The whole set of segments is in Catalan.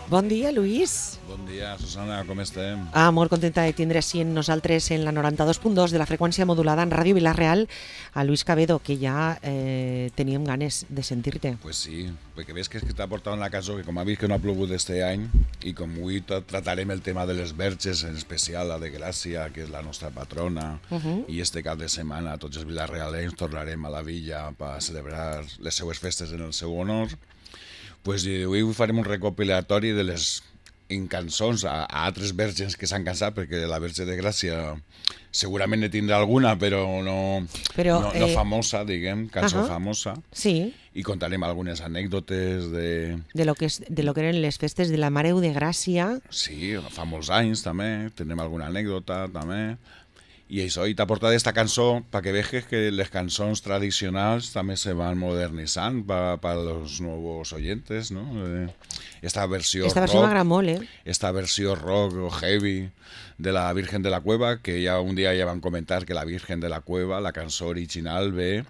Bon dia, Lluís. Bon dia, Susana, com estem? Molt contenta de tindre així en nosaltres en la 92.2 de la freqüència modulada en Ràdio Vila-real a Luis Cabedo, que ja teníem ganes de sentir-te. Pues sí, perquè ves que t'ha portat la cançó que com ha vist que no ha plogut este any i com avui tratarem el tema de les verges, en especial la de Gràcia, que és la nostra patrona, i este cap de setmana tots els vilarrealens tornarem a la villa per celebrar les seues festes en el seu honor. Pues avui farem un recopilatori de les cançons a altres verges que s'han cansat, perquè la Verge de Gràcia segurament ne tindrà alguna, però no famosa, diguem, cançó famosa. Sí. I contarem algunes anècdotes de lo que eren les festes de la Mare de Gràcia. Sí, fa molts anys també, tenim alguna anècdota també. I això, i t'ha portat esta cançó perquè veges que les cançons tradicionals també se van modernitzant per los nuevos oyentes, ¿no? Esta versió m'agrada molt, Esta versió rock o heavy de la Virgen de la Cueva, que ja un dia ja van comentar que la Virgen de la Cueva, la cançó original ve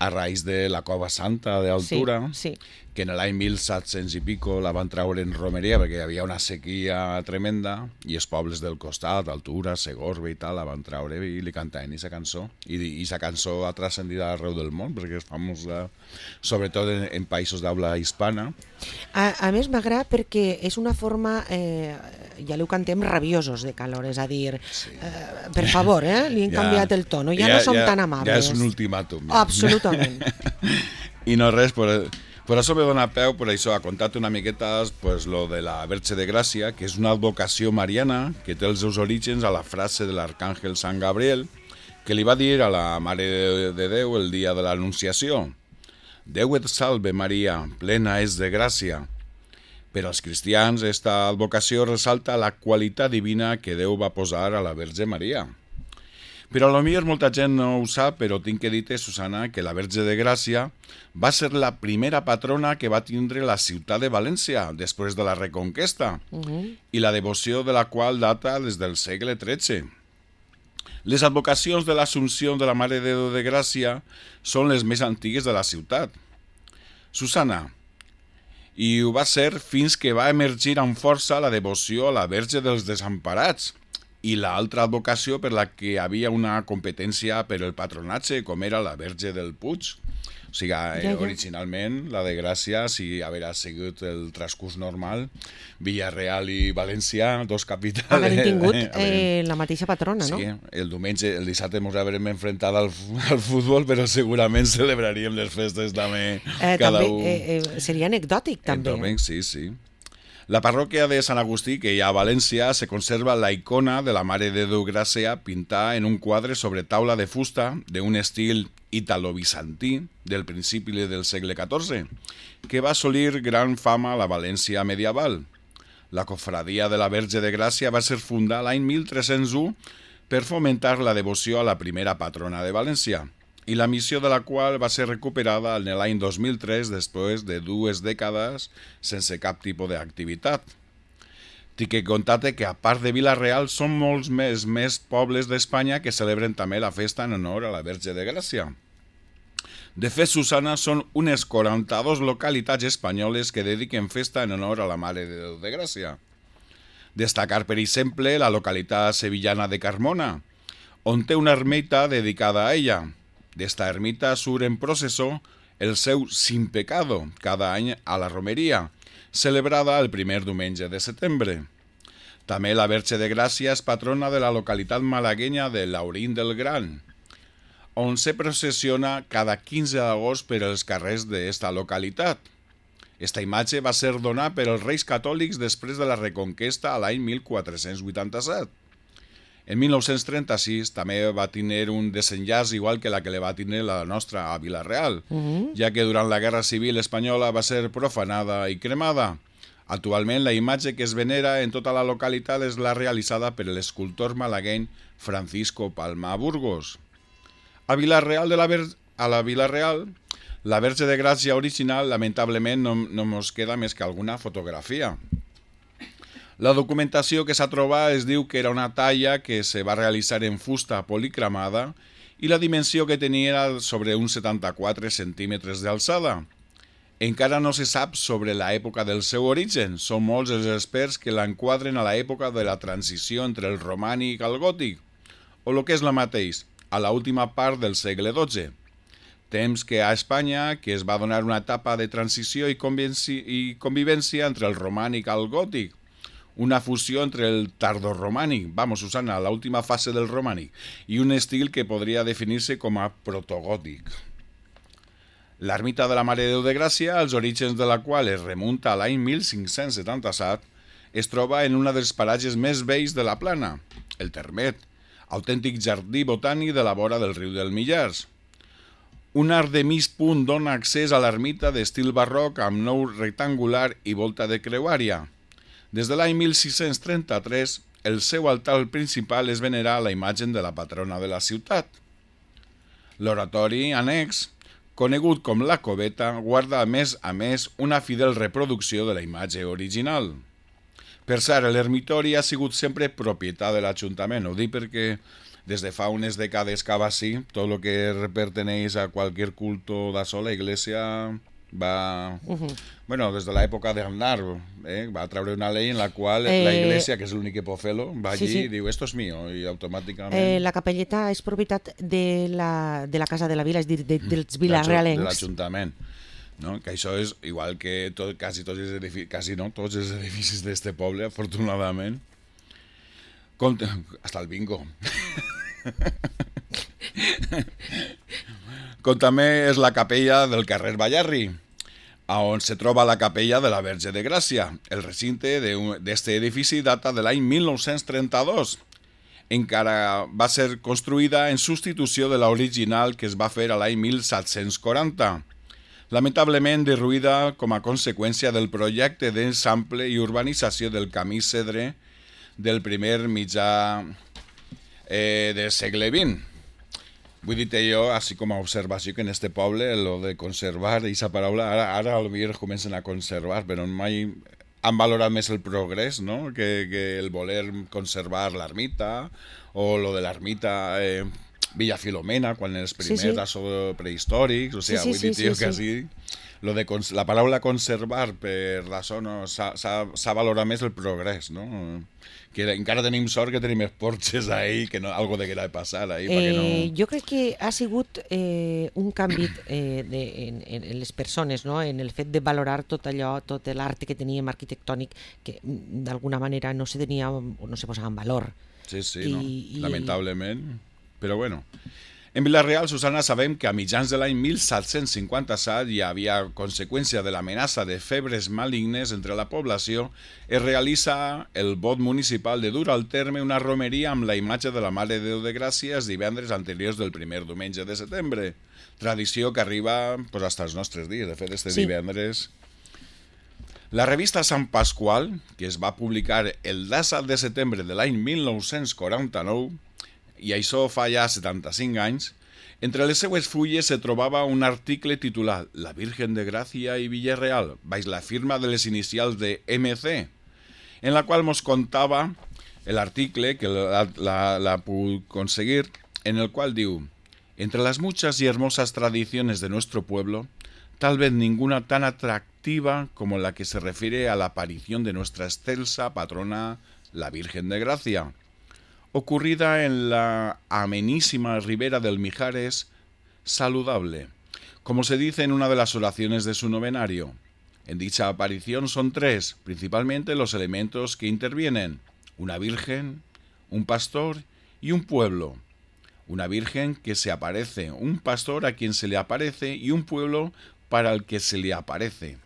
a raïs de la Cova Santa d'Altura, sí. Que en l'any 1700 i pico la van treure en romeria perquè hi havia una sequia tremenda i els pobles del costat, Altura, Segorbe i tal, la van treure i li cantaven aquesta cançó. I aquesta cançó ha transcendit arreu del món perquè és famosa, sobretot en països d'habla hispana. A més m'agrada perquè és una forma, ja ho cantem, rabiosos de calor, és a dir, sí. Per favor, li hem canviat el tono, ja no som tan amables. Ja és un ultimàtum. Absolutament. I no res, per això me dona peu, per això, a contar-te una miqueta pues, lo de la Verge de Gràcia, que és una advocació mariana que té els seus orígens a la frase de l'arcàngel Sant Gabriel, que li va dir a la Mare de Déu el dia de l'Anunciació: Déu et salve Maria, plena és de gràcia. Per als cristians, esta advocació ressalta la qualitat divina que Déu va posar a la Verge Maria. Però potser molta gent no ho sap, però tinc que dir-te, Susana, que la Verge de Gràcia va ser la primera patrona que va tindre la ciutat de València després de la Reconquesta, i la devoció de la qual data des del segle XIII. Les advocacions de l'Assumpció de la Mare de Déu de Gràcia són les més antigues de la ciutat. Susana, i ho va ser fins que va emergir amb força la devoció a la Verge dels Desemparats, i l'altra advocació per la que hi havia una competència per el patronatge, com era la Verge del Puig. O sigui, originalment, la de Gràcia, si haguera sigut el transcurs normal, Villarreal i València, dos capitals... Haguem tingut la mateixa patrona, no? Sí, el dissabte ens haurem enfrontat al futbol, però segurament celebraríem les festes també cada un. Seria anecdòtic, també. Sí. La parròquia de Sant Agustí, que hi ha a València, se conserva la icona de la Mare de Déu Gràcia pintada en un quadre sobre taula de fusta d'un estil italo-bizantí del principi del segle XIV, que va assolir gran fama a la València medieval. La cofradia de la Verge de Gràcia va ser fundada l'any 1301 per fomentar la devoció a la primera patrona de València, i la missió de la qual va ser recuperada en l'any 2003 després de 2 dècades sense cap tipus d'activitat. Tinc que contar-te que a part de Vila-real són molts més pobles d'Espanya que celebren també la festa en honor a la Verge de Gràcia. De fet, Susana, són unes 42 localitats espanyoles que dediquen festa en honor a la Mare de Déu de Gràcia. Destacar, per exemple, la localitat sevillana de Carmona, on té una ermita dedicada a ella. D'esta ermita surt en processó el seu Sin Pecado cada any a la romeria, celebrada el primer diumenge de setembre. També la Verge de Gràcia és patrona de la localitat malaguenya de Laurín del Gran, on se processiona cada 15 d'agost per els carrers d'esta localitat. Esta imatge va ser donada per els reis catòlics després de la Reconquesta a l'any 1487. En 1936 també va tenir un desenllaç igual que la que li va tenir la nostra a Vila-real, ja que durant la Guerra Civil espanyola va ser profanada i cremada. Actualment la imatge que es venera en tota la localitat és la realitzada per l'escultor malagueny Francisco Palma Burgos. A Vila-real, la Verge de Gràcia original lamentablement no ens queda més que alguna fotografia. La documentació que s'ha trobat es diu que era una talla que se va realitzar en fusta policromada i la dimensió que tenia era sobre uns 74 centímetres d'alçada. Encara no se sap sobre l'època del seu origen. Són molts els experts que l'enquadren a l'època de la transició entre el romànic al gòtic, o el que és la mateix, a l'última part del segle XII. Temps que a Espanya que es va donar una etapa de transició i convivència entre el romànic al gòtic, una fusió entre el tardorromànic, Susana, l'última fase del romànic, i un estil que podria definir-se com a protogòtic. L'ermita de la Mare de Déu de Gràcia, els orígens de la qual es remunta a l'any 1577, es troba en un dels paratges més vells de la Plana, el Termet, autèntic jardí botànic de la vora del riu del Millars. Un arc de mig punt dona accés a l'ermita d'estil barroc amb nou rectangular i volta de creuària. Des de l'any 1633, el seu altar principal és venerar la imatge de la patrona de la ciutat. L'oratori annex, conegut com la coveta, guarda a més una fidel reproducció de la imatge original. Per cert, l'ermitori ha sigut sempre propietat de l'Ajuntament. Ho dic perquè des de fa unes dècades que va així, tot el que perteneix a qualsevol culto d'això, la Iglesia va... des de l'època d'Aznar, va treure una llei en la qual la Iglesia, que és l'únic que pot fer-lo, va allí i diu, esto es mío, i automàticament... La capelleta és propietat de la Casa de la Vila, és dir, dels vilarealencs. De l'Ajuntament. No? Que això és igual que quasi tots els edificis d'este poble, afortunadament. Hasta el bingo. Com també és la capella del carrer Ballarri, on se troba la capella de la Verge de Gràcia. El recinte d'este edifici data de l'any 1932. Encara va ser construïda en substitució de l'original que es va fer a l'any 1740. Lamentablement derruïda com a conseqüència del projecte d'ensample i urbanització del camí Cedre del primer mitjà del segle XX. Vull dir-te jo, així com a observació, que en este poble, lo de conservar, aquesta paraula, ara potser comencen a conservar, però mai han valorat més el progrés, no?, que el voler conservar l'ermita, o lo de l'ermita Villa Filomena, quan els primers prehistòrics, o sigui, vull dir-te jo que així... La paraula conservar per d'això s'ha valorat més el progrés, no? Que encara tenim sort que tenim esporxes ahí, que algo de que era de passar ahí. Jo crec que ha sigut un canvi en les persones, no? En el fet de valorar tot allò, tot l'art que teníem arquitectònic, que d'alguna manera no se tenia o no se posava en valor. Sí, lamentablement. Però bueno... En Vila-real, Susana, sabem que a mitjans de l'any 1757 hi havia, a conseqüència de l'amenaça de febres malignes entre la població, es realitza el vot municipal de dur al terme una romeria amb la imatge de la Mare de Déu de Gràcia els divendres anteriors del primer diumenge de setembre. Tradició que arriba fins als nostres dies, de fet, este divendres. La revista Sant Pasqual, que es va publicar el 17 de setembre de l'any 1949, i això fa ja 75 anys, entre les seues fulles se trobava un article titulat La Virgen de Gràcia i Villarreal, baix la firma de les inicials de MC, en la qual nos contava l'article, que la puc conseguir, en el qual diu: entre las muchas y hermosas tradiciones de nuestro pueblo, tal vez ninguna tan atractiva como la que se refiere a la aparición de nuestra excelsa patrona, la Virgen de Gracia, ocurrida en la amenísima ribera del Mijares saludable, como se dice en una de las oraciones de su novenario. En dicha aparición son tres, principalmente, los elementos que intervienen: una virgen, un pastor y un pueblo. Una virgen que se aparece, un pastor a quien se le aparece y un pueblo para el que se le aparece.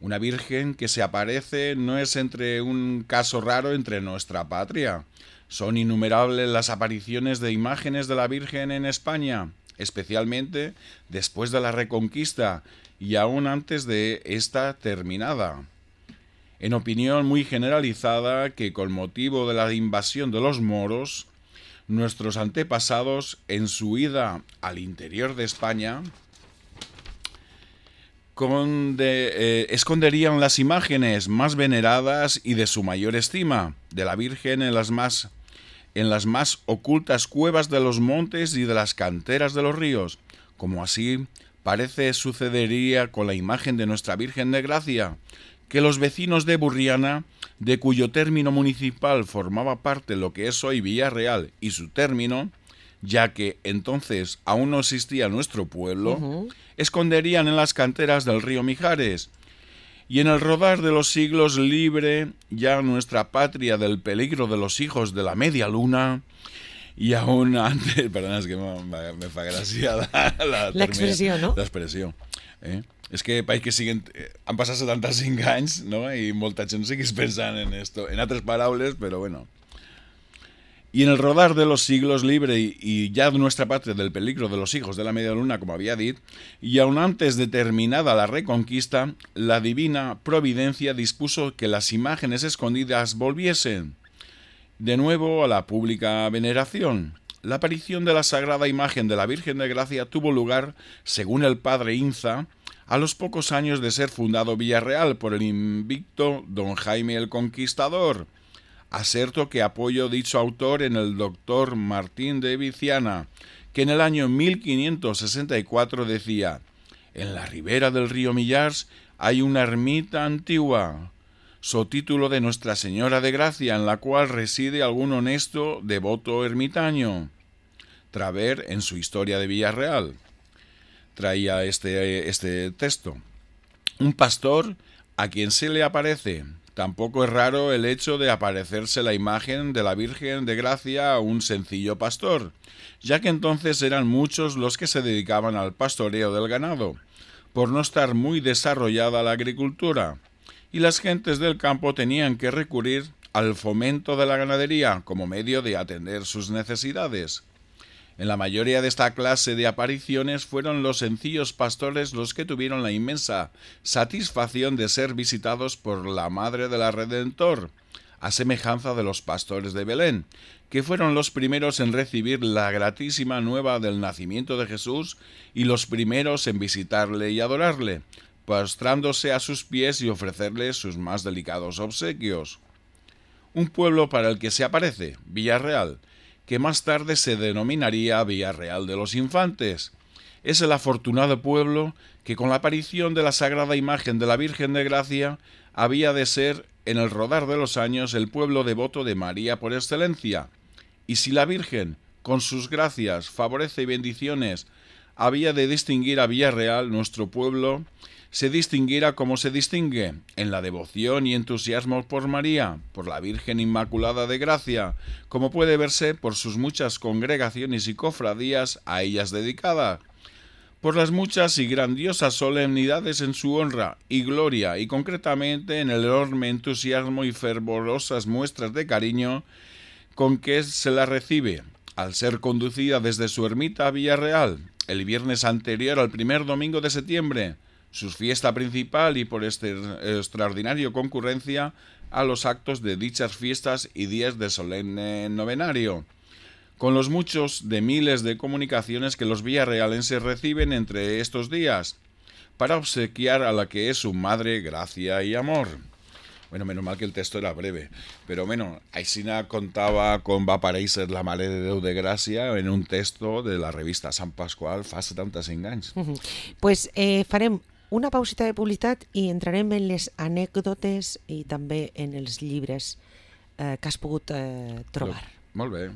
Una virgen que se aparece no es un caso raro entre nuestra patria. Son innumerables las apariciones de imágenes de la Virgen en España, especialmente después de la Reconquista y aún antes de esta terminada. En opinión muy generalizada que con motivo de la invasión de los moros, nuestros antepasados en su ida al interior de España esconderían las imágenes más veneradas y de su mayor estima de la Virgen en las más ocultas cuevas de los montes y de las canteras de los ríos, como así parece sucedería con la imagen de Nuestra Virgen de Gracia, que los vecinos de Burriana, de cuyo término municipal formaba parte lo que es hoy Villarreal y su término, ya que entonces aún no existía nuestro pueblo, esconderían en las canteras del río Mijares, y en el rodar de los siglos libre ya nuestra patria del peligro de los hijos de la media luna, y aún antes, perdona, es que me fa gràcia la expressió, no? L'expressió. És que pareix que han passat 75 anys, no? I molta gent seguís pensant en esto, en altres paraules, però bueno. Y en el rodar de los siglos libre y ya nuestra patria del peligro de los hijos de la media luna, como había dicho, y aún antes de terminada la reconquista, la divina providencia dispuso que las imágenes escondidas volviesen de nuevo a la pública veneración. La aparición de la sagrada imagen de la Virgen de Gracia tuvo lugar, según el padre Inza, a los pocos años de ser fundado Villarreal por el invicto don Jaime el Conquistador. Aserto que apoyo dicho autor en el doctor Martín de Viciana, que en el año 1564 decía: en la ribera del río Millars hay una ermita antigua, sotítulo de Nuestra Señora de Gracia, en la cual reside algún honesto devoto ermitaño. Traver, en su historia de Villarreal, traía este texto. Un pastor a quien se le aparece. Tampoco es raro el hecho de aparecerse la imagen de la Virgen de Gracia a un sencillo pastor, ya que entonces eran muchos los que se dedicaban al pastoreo del ganado, por no estar muy desarrollada la agricultura, y las gentes del campo tenían que recurrir al fomento de la ganadería como medio de atender sus necesidades. En la mayoría de esta clase de apariciones fueron los sencillos pastores los que tuvieron la inmensa satisfacción de ser visitados por la Madre de la Redentor, a semejanza de los pastores de Belén, que fueron los primeros en recibir la gratísima nueva del nacimiento de Jesús y los primeros en visitarle y adorarle, postrándose a sus pies y ofrecerle sus más delicados obsequios. Un pueblo para el que se aparece, Villarreal, que más tarde se denominaría Villarreal de los Infantes. Es el afortunado pueblo que con la aparición de la sagrada imagen de la Virgen de Gracia había de ser, en el rodar de los años, el pueblo devoto de María por excelencia. Y si la Virgen, con sus gracias, favorece y bendiciones, había de distinguir a Villarreal, nuestro pueblo, se distinguirá como se distingue, en la devoción y entusiasmo por María, por la Virgen Inmaculada de Gracia, como puede verse por sus muchas congregaciones y cofradías a ellas dedicadas, por las muchas y grandiosas solemnidades en su honra y gloria, y concretamente en el enorme entusiasmo y fervorosas muestras de cariño con que se la recibe, al ser conducida desde su ermita a Villarreal, el viernes anterior al primer domingo de septiembre, su fiesta principal, y por extraordinaria concurrencia a los actos de dichas fiestas y días de solemne novenario, con los muchos de miles de comunicaciones que los villarrealenses reciben entre estos días, para obsequiar a la que es su madre gracia y amor. Bueno, menos mal que el texto era breve, pero bueno, Aixina contava com va aparèixer la Mare de Déu de Gràcia en un texto de la revista Sant Pasqual fa 75 anys. Pues farem una pausita de publicitat i entrarem en les anècdotes i també en els llibres que has pogut trobar. Molt bé.